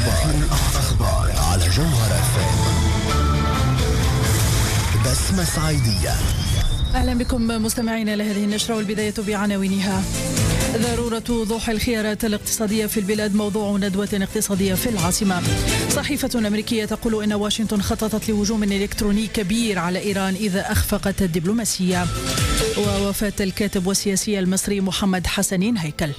الأخبار على جوهرة FM. بسمة سعيدية. أهلا بكم مستمعينا لهذه النشرة، والبداية بعناوينها. ضرورة وضوح الخيارات الاقتصادية في البلاد موضوع ندوة اقتصادية في العاصمة. صحيفة أمريكية تقول إن واشنطن خططت لهجوم إلكتروني كبير على إيران إذا أخفقت الدبلوماسية. ووفاة الكاتب والسياسي المصري محمد حسنين هيكل.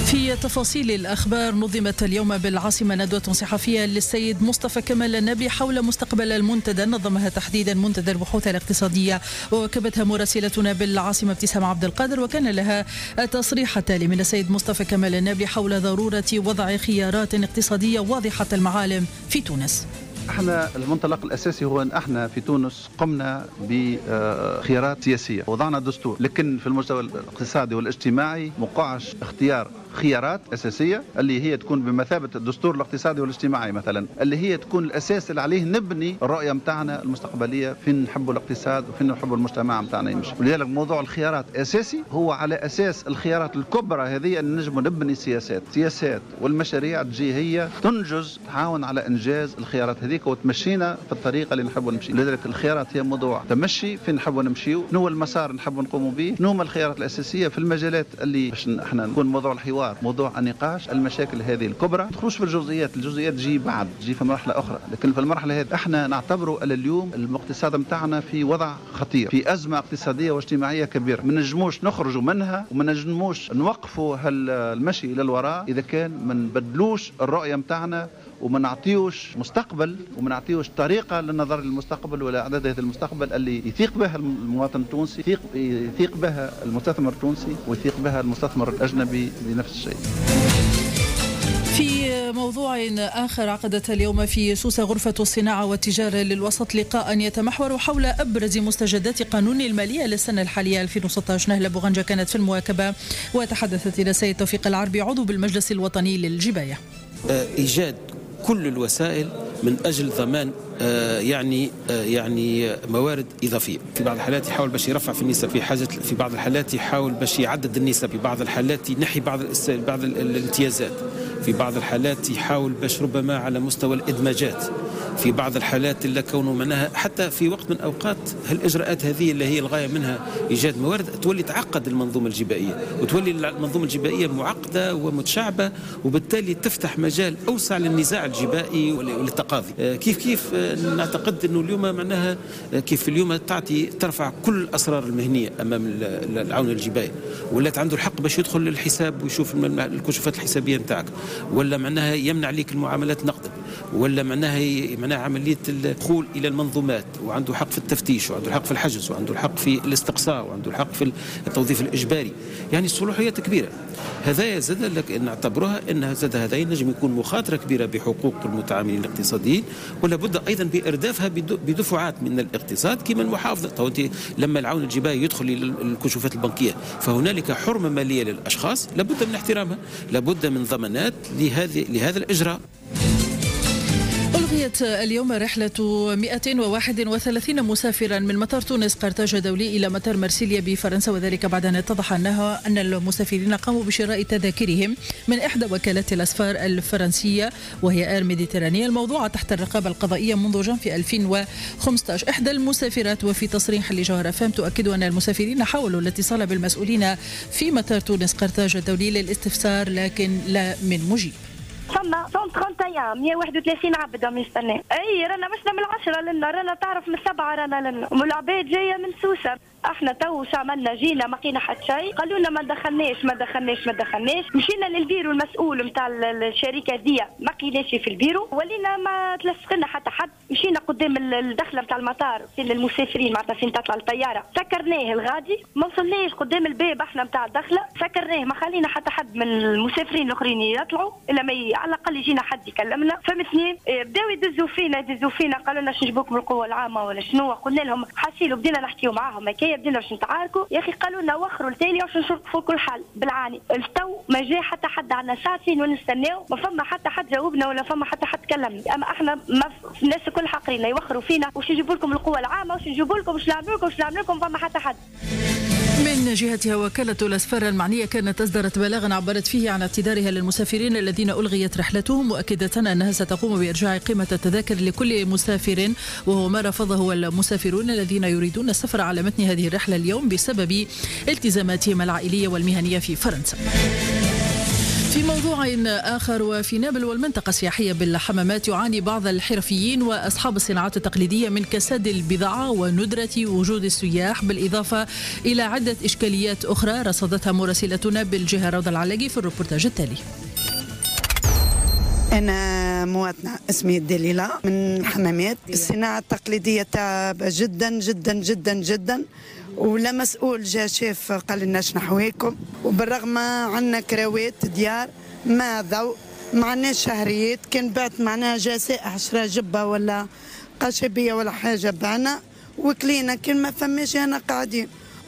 في تفاصيل الأخبار، نظمت اليوم بالعاصمة ندوة صحفية للسيد مصطفى كمال النبي حول مستقبل المنتدى، نظمها تحديدا منتدى البحوث الاقتصادية، وواكبتها مراسلتنا بالعاصمة ابتسام عبد القادر، وكان لها تصريح التالي من السيد مصطفى كمال النبي حول ضرورة وضع خيارات اقتصادية واضحة المعالم في تونس. احنا المنطلق الاساسي هو ان احنا في تونس قمنا بخيارات سياسية، وضعنا دستور، لكن في المستوى الاقتصادي والاجتماعي مقعش اختيار خيارات اساسية اللي هي تكون بمثابة الدستور الاقتصادي والاجتماعي مثلا، اللي هي تكون الاساس اللي عليه نبني الرؤية نتاعنا المستقبلية، فين نحبوا الاقتصاد وفين نحبوا المجتمع نتاعنا يمشي. ولذلك موضوع الخيارات اساسي، هو على اساس الخيارات الكبرى هذه ان نجموا نبني سياسات، سياسات والمشاريع تجي هي تنجز، تعاون على انجاز الخيارات هذيك وتمشينا في الطريقة اللي نحبوا نمشي. لذلك الخيارات هي موضوع تمشي فين نحبوا نمشيو، شنو هو المسار نحبوا نقوموا به، شنو هما الخيارات الاساسية في المجالات اللي باش احنا نكون موضوع الحوار، موضوع النقاش، المشاكل هذه الكبرى. ما تدخلوش في الجزئيات، الجزئيات تجي بعد، تجي في مرحلة اخرى، لكن في المرحلة هذه احنا نعتبروا اليوم الاقتصاد نتاعنا في وضع خطير، في ازمة اقتصادية واجتماعية كبيرة، ما نجموش نخرجوا منها وما نجموش نوقفوا هالمشي الى الوراء اذا كان ما نبدلوش الرؤية نتاعنا وما نعطيوش مستقبل وما نعطيوش طريقه للنظر للمستقبل ولا اعداد هذا المستقبل اللي يثيق بها المواطن التونسي، يثيق بها المستثمر التونسي، ويثيق بها المستثمر الاجنبي بنفس الشيء. في موضوع آخر، عقدت اليوم في سوسة غرفة الصناعة والتجارة للوسط لقاء يتمحور حول أبرز مستجدات قانون المالية للسنة الحالية 2016. نهلة بوغنجة كانت في المواكبة وتحدثت إلى السيد توفيق العربي عضو بالمجلس الوطني للجباية. إيجاد كل الوسائل من أجل ضمان يعني موارد إضافية. في بعض الحالات يحاول باش يرفع في النسب، في بعض الحالات يحاول باش يعدد النسب، في بعض الحالات ينحي بعض الامتيازات، في بعض الحالات يحاول باش ربما على مستوى الإدماجات، في بعض الحالات اللي كونه معناها حتى في وقت من الأوقات هالإجراءات هذه اللي هي الغاية منها إيجاد موارد تولي تعقد المنظومة الجبائية، وتولي المنظومة الجبائية معقدة ومتشعبة، وبالتالي تفتح مجال أوسع للنزاع الجبائي وللتقاضي. كيف نعتقد أنه اليوم معناها كيف اليوم تعطي ترفع كل الأسرار المهنية أمام العون الجبائي، ولات عنده الحق باش يدخل للحساب ويشوف الكشوفات الحسابية نتاعك، ولا معناها يمنع ليك المعاملات نقدا، ولا معناها عملية الدخول إلى المنظومات، وعنده حق في التفتيش، وعنده الحق في الحجز، وعنده الحق في الاستقصاء، وعنده الحق في التوظيف الإجباري. يعني الصلاحيات كبيرة. هذا زاد لك نعتبرها أن زاد هذا ينجم يكون مخاطرة كبيرة بحقوق المتعاملين الاقتصاديين، ولا بد أيضا بإردافها بدفعات من الاقتصاد كما المحافظة. أنت لما العون الجبائي يدخل إلى الكشوفات البنكية فهنالك حرمة مالية للأشخاص لابد من احترامها، لابد من ضمانات لهذا الإجراء. ألغيت اليوم رحلة 131 مسافرا من مطار تونس قرطاج الدولي إلى مطار مرسيليا بفرنسا، وذلك بعد أن اتضح أن المسافرين قاموا بشراء تذاكرهم من إحدى وكالات الأسفار الفرنسية وهي Air Méditerranée الموضوعة تحت الرقابة القضائية منذ جانفي 2015. إحدى المسافرات وفي تصريح لجوهرة FM تؤكد أن المسافرين حاولوا الاتصال بالمسؤولين في مطار تونس قرطاج الدولي للاستفسار لكن لا من مجيب. فما 131 131 عبد عم يستنى. اي رانا مشنا من 10 لنا، رانا تعرف من 7 رانا لنا، والعباد جاية من سوسة. احنا تو شو عملنا؟ جينا ما لقينا حتى شيء، قالوا لنا ما دخلناش ما دخلناش ما دخلناش، مشينا للبيرو المسؤول نتاع الشركة دي ما لقيناش في البيرو، ولينا ما تلصقنا حتى حد، مشينا قدام الدخلة نتاع المطار فين المسافرين معناتها فين تطلع الطيارة، سكرناه الغادي، ما وصلناش قدام الباب احنا نتاع الدخلة، سكرناه ما خلينا حتى حد من المسافرين الاخرين يطلعوا الا ما على الاقل يجينا حد يكلمنا، فهمتني؟ بداو يدزوا فينا يدزوا فينا، قالوا لنا شنو نجيبوكم القوة العامة ولا شنو، قلنا لهم حاسيلو بدينا نحكيو معاهم هكايا، بدينا باش نتعاركوا، يا اخي قالوا لنا وخروا لتالي باش نشوفوا كل حل بالعاني. التو ما جا حتى حد، عندنا ساعتين ونستناو، ما فما حتى حد جاوبنا ولا فما حتى حد كلمنا، اما احنا ما الناس الكل حاقرين يوخروا فينا، واش نجيبوا لكم القوة العامة، واش نجيبوا لكم، واش نعملوا لكم، واش نعملوا لكم، فما حتى حد. من جهتها وكالة الأسفار المعنية كانت أصدرت بلاغا عبرت فيه عن اعتذارها للمسافرين الذين ألغيت رحلتهم، مؤكدة أنها ستقوم بإرجاع قيمة التذاكر لكل مسافر، وهو ما رفضه المسافرون الذين يريدون السفر على متن هذه الرحلة اليوم بسبب التزاماتهم العائلية والمهنية في فرنسا. في موضوع آخر، وفي نابل والمنطقة السياحية بالحمامات يعاني بعض الحرفيين وأصحاب الصناعات التقليدية من كساد البضاعة وندرة وجود السياح، بالإضافة إلى عدة إشكاليات أخرى رصدتها مراسلتنا بالجهة روضة العلاقي في الروبورتاج التالي. أنا مواطنة اسمي دليلة من الحمامات. الصناعة التقليدية تعب جدا جدا جدا جدا، ولا مسؤول جا شاف قال لنا شنحويكم، وبالرغم عندنا كراوات ديار ما ضوء، ما عندناش شهريات، كان بعت معناها جا سائح شرا جبه ولا قشبيه ولا حاجة بعنا وكلينا، كان ما فماش انا قاعدين.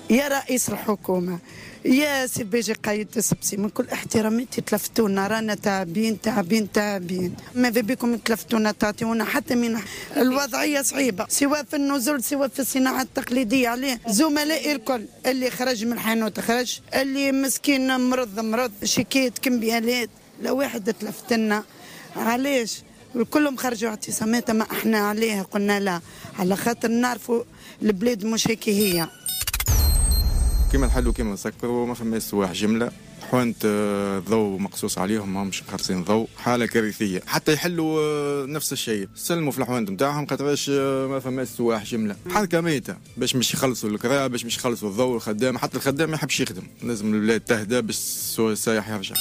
يا رئيس الحكومة يا سي بيجي قايد السبسي، من كل احتراماتي تلفتونا، رانا تعبين تعبين تعبين، ماذا بكم تلفتونا تعطيونا حتى من الوضعية صعيبة، سواء في النزول سواء في الصناعة التقليدية. عليه زملائي الكل اللي خرج من الحانوت خرج، اللي مسكين مرض مرض، شيكات كمبيالات، لا واحد تلفتنا. علاش؟ كلهم خرجوا اعتصامات، ما احنا عليها قلنا لا، على خاطر نعرفوا البلاد مش هيك هي. كيما نحلوا كيما نسكروا، ما فماش سواح جملة، حوانت الضوء مقصوص عليهم، ماهمش مخلصين ضوء، حاله كارثية. حتى يحلوا نفس الشيء، سلموا في الحوانت نتاعهم خاطرش ما فماش سواح جملة، حركة ميته باش مش يخلصوا الكراء، باش مش يخلصوا الضوء الخدام، حتى الخدام ما يحبش يخدم، لازم البلاد تهدى باش السايح يرجع.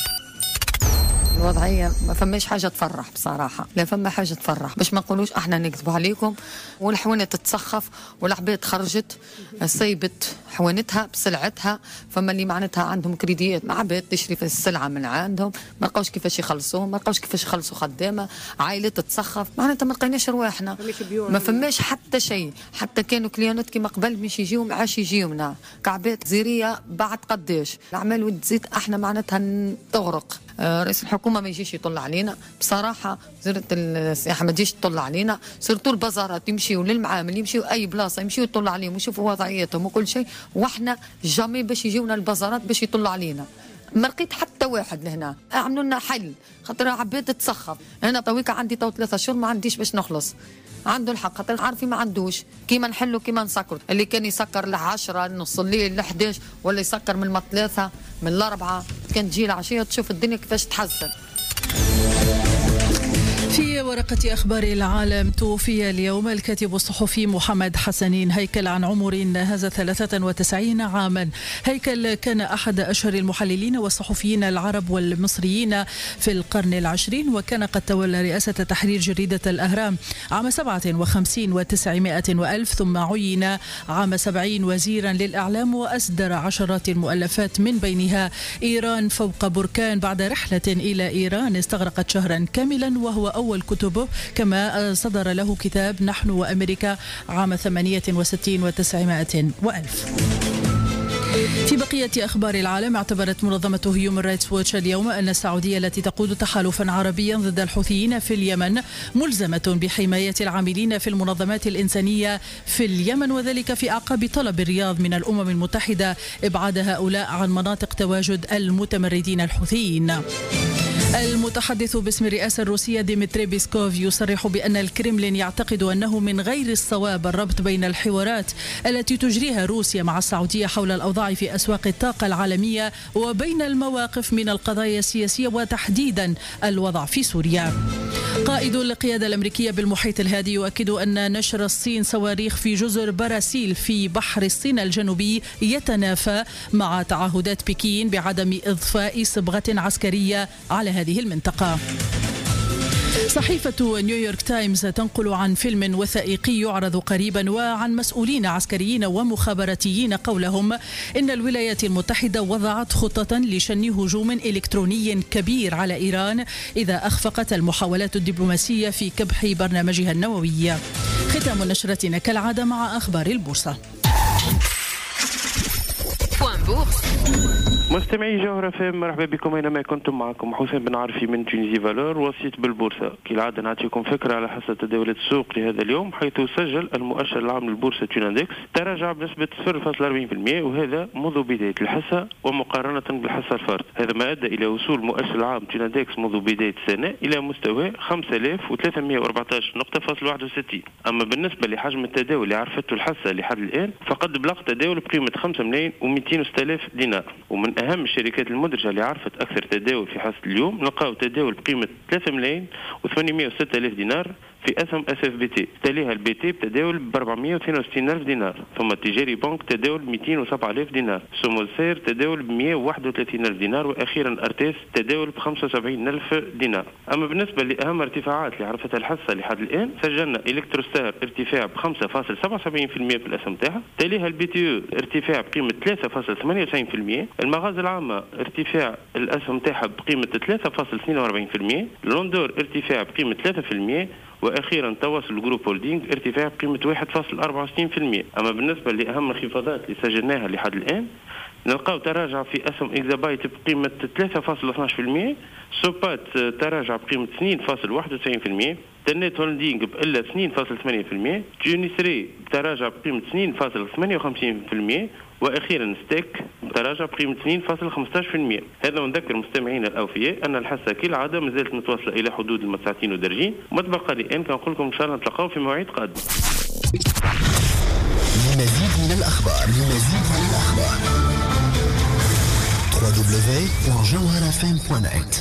الوضعية ما فماش حاجة تفرح بصراحة، لا فما حاجة تفرح باش ما نقولوش احنا نكذبوا عليكم. والحوانت تتسخف والعباد خرجت سيبت حوانتها بسلعتها، فما اللي معناتها عندهم كريديات مع عباد تشري في السلعة من عندهم، ما لقاوش كيفاش يخلصوهم، ما لقاوش كيفاش يخلصوا خدامة، عائلات تتسخف، معناتها ما لقيناش رواحنا، ما فماش حتى شيء. حتى كانوا كليونات كيما قبل مش يجيو ما عادش يجيونا، كعبات زيرية بعد قداش الأعمال وتزيد احنا معناتها تغرق. رئيس الحكومة ما يجيش يطل علينا بصراحة، وزيره السياحة ما تجيش تطل علينا، surtout البازارات يمشيو للمعامل، يمشيو اي بلاصة يمشيو يطلوا عليهم ويشوفوا وضعيتهم وكل شيء، واحنا jamais باش يجيونا البازارات باش يطلوا علينا. ما لقيت حتى واحد لهنا اعملوا لنا حل، خاطر عباد تسخف. انا تويكا عندي تو 3 شهور ما عنديش باش نخلص، عنده الحق خاطر عارفين ما عندوش، كيما نحلوا كيما نسكروا. اللي كان يسكر ل10 نص الليل ل11 ولا يسكر من 3 من 4، كان تجي العشية تشوف الدنيا كيفاش تحسن. في ورقة أخبار العالم، توفي اليوم الكاتب الصحفي محمد حسنين هيكل عن عمر ناهز 93 عاما. هيكل كان أحد أشهر المحللين والصحفيين العرب والمصريين في القرن العشرين، وكان قد تولى رئاسة تحرير جريدة الأهرام عام 57 و900 وألف، ثم عين عام 70 وزيرا للإعلام، وأصدر عشرات المؤلفات من بينها إيران فوق بركان بعد رحلة إلى إيران استغرقت شهرا كاملا، وهو أول كتبه. كما صدر له كتاب نحن وأمريكا عام 68 و900 وألف. في بقية أخبار العالم، اعتبرت منظمة هيومن رايتس ووتش اليوم أن السعودية التي تقود تحالفا عربيا ضد الحوثيين في اليمن ملزمة بحماية العاملين في المنظمات الإنسانية في اليمن، وذلك في أعقاب طلب الرياض من الأمم المتحدة إبعاد هؤلاء عن مناطق تواجد المتمردين الحوثيين. المتحدث باسم الرئاسة الروسية ديمتري بيسكوف يصرح بأن الكرملين يعتقد أنه من غير الصواب الربط بين الحوارات التي تجريها روسيا مع السعودية حول الأوضاع في أسواق الطاقة العالمية وبين المواقف من القضايا السياسية وتحديدا الوضع في سوريا. قائد القيادة الأمريكية بالمحيط الهادي يؤكد أن نشر الصين صواريخ في جزر باراسيل في بحر الصين الجنوبي يتنافى مع تعهدات بكين بعدم إضفاء صبغة عسكرية على هذه المنطقة. صحيفة نيويورك تايمز تنقل عن فيلم وثائقي يعرض قريبا وعن مسؤولين عسكريين ومخابراتيين قولهم إن الولايات المتحدة وضعت خطة لشن هجوم إلكتروني كبير على إيران إذا أخفقت المحاولات الدبلوماسية في كبح برنامجها النووي. ختام نشرتنا كالعادة مع أخبار البورصة. مستمعي جوهرة اف ام، مرحبا بكم اينما كنتم. معكم حسين بن عرفي من Tunisie Valeur، وسيط بالبورصه. كالعادة نعطيكم فكرة على حصة تداولات السوق لهذا اليوم، حيث سجل المؤشر العام للبورصه Tunindex تراجع بنسبة 0.40%، وهذا منذ بداية الحصة ومقارنة بالحصه الفارطه. هذا ما ادى الى وصول المؤشر العام Tunindex منذ بداية السنة الى مستوى 5314 نقطة فاصل 61. اما بالنسبة لحجم التداول اللي عرفته الحصة لحد الان، فقد بلغ تداول بقيمة 5 ملايين و206 الف دينار. ومن اهم الشركات المدرجة اللي عرفت اكثر تداول في حصة اليوم، نلقاو تداول بقيمة 3 ملايين و806 الف دينار في اسهم SFBT، تليها ال BT بتداول ب 462 الف دينار، ثم التجاري بنك تداول ب 207 الف دينار، سوموسير تداول ب 131 الف دينار، واخيرا ارتيس تداول ب 75 الف دينار. اما بالنسبة لاهم ارتفاعات اللي عرفتها الحصة لحد الان، سجلنا الكتروستار ارتفاع ب 5.77% في الاسهم تاعها، تليها ال BTE ارتفاع بقيمة 3.98%، المغازه العامة ارتفاع الاسهم تاعها بقيمة 3.42%، لوندور ارتفاع بقيمة 3%، واخيرا تواصل Group Holding ارتفاع بقيمة 1.64%. اما بالنسبة لاهم الانخفاضات اللي سجلناها لحد الان، نلقاو تراجع في اسهم اكزابايت بقيمة 3.12%، سوبات تراجع بقيمة 2.91%، تنت هولدينغ بإلا 2.8%، تونسري تراجع بقيمة 2.58%، واخيرا ستيك تراجع بقيمة 2.15%. هذا ونذكر مستمعينا الاوفياء ان الحصة كالعادة ما زالت متواصلة الى حدود المساعتين ودرجين، وما تبقى لي ان كنقول لكم ان شاء الله نتلاقاو في مواعيد قادمة. لمزيد من الاخبار www.jawharafm.net.